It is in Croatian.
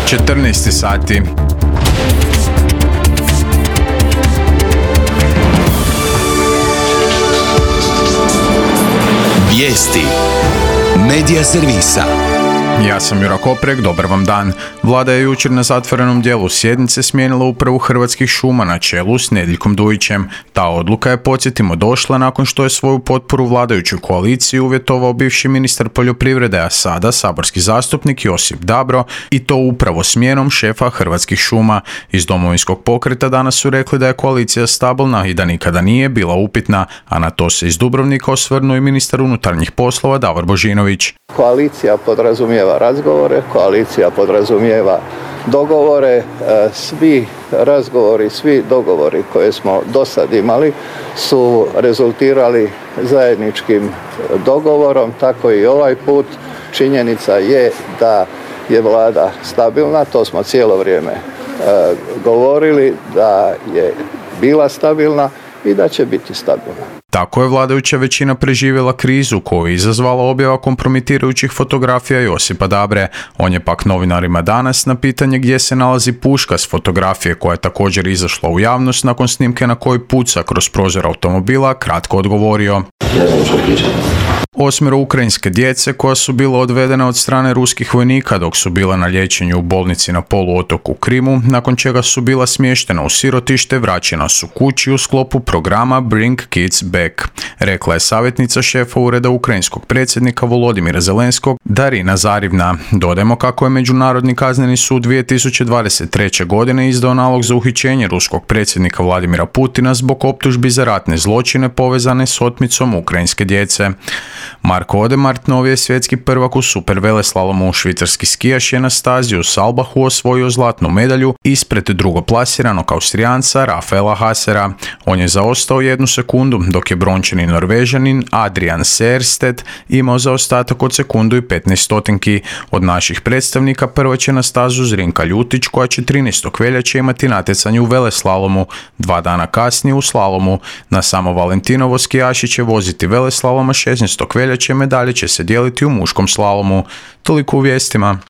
14 sati. Vijesti Medija servisa. Ja sam Jura Koprek, dobar vam dan. Vlada je jučer na zatvorenom dijelu sjednice smijenila upravu Hrvatskih šuma na čelu s Nedeljkom Dujićem. Ta odluka je, podsjetimo, došla nakon što je svoju potporu vladajućoj koaliciji uvjetovao bivši ministar poljoprivrede, a sada saborski zastupnik Josip Dabro, i to upravo smjenom šefa Hrvatskih šuma. Iz Domovinskog pokreta danas su rekli da je koalicija stabilna i da nikada nije bila upitna, a na to se iz Dubrovnika osvrnuo i ministar unutarnjih poslova Davor Božinović. Koalicija podrazumijeva razgovore, koalicija podrazumijeva dogovore, svi razgovori, svi dogovori koje smo do sad imali su rezultirali zajedničkim dogovorom, tako i ovaj put. Činjenica je da je vlada stabilna, to smo cijelo vrijeme govorili, da je bila stabilna i da će biti stabilna. Tako je vladajuća većina preživjela krizu koju je izazvala objava kompromitirajućih fotografija Josipa Dabre. On je pak novinarima danas na pitanje gdje se nalazi puška s fotografije koja je također izašla u javnost nakon snimke na kojoj puca kroz prozor automobila kratko odgovorio. Ne znam što pričam. 8 ukrajinske djece koja su bila odvedena od strane ruskih vojnika dok su bila na liječenju u bolnici na poluotoku Krimu, nakon čega su bila smještena u sirotište, vraćena su kući u sklopu programa Bring Kids Back, rekla je savjetnica šefa ureda ukrajinskog predsjednika Volodimira Zelenskog Darina Zarivna. Dodajmo kako je Međunarodni kazneni sud 2023. godine izdao nalog za uhićenje ruskog predsjednika Vladimira Putina zbog optužbi za ratne zločine povezane s otmicom ukrajinske djece. Marko Odemart, novi je svjetski prvak u superveleslalomu. Švicarski skijaš je na stazi u Salbahu osvojio zlatnu medalju ispred drugoplasiranog Austrijanca Rafaela Hasera. On je zaostao 1 sekundu, dok je brončani Norvežanin Adrian Seerstedt imao zaostatak od sekundu i 15 stotinki. Od naših predstavnika prva će na stazu Zrinka Ljutić, koja će 13. veljače imati natjecanje u veleslalomu. 2 dana kasnije u slalomu. Na samo Valentinovo skijaši će voziti veleslaloma 16. veljače, medalje će se dijeliti u muškom slalomu. Toliko u vijestima.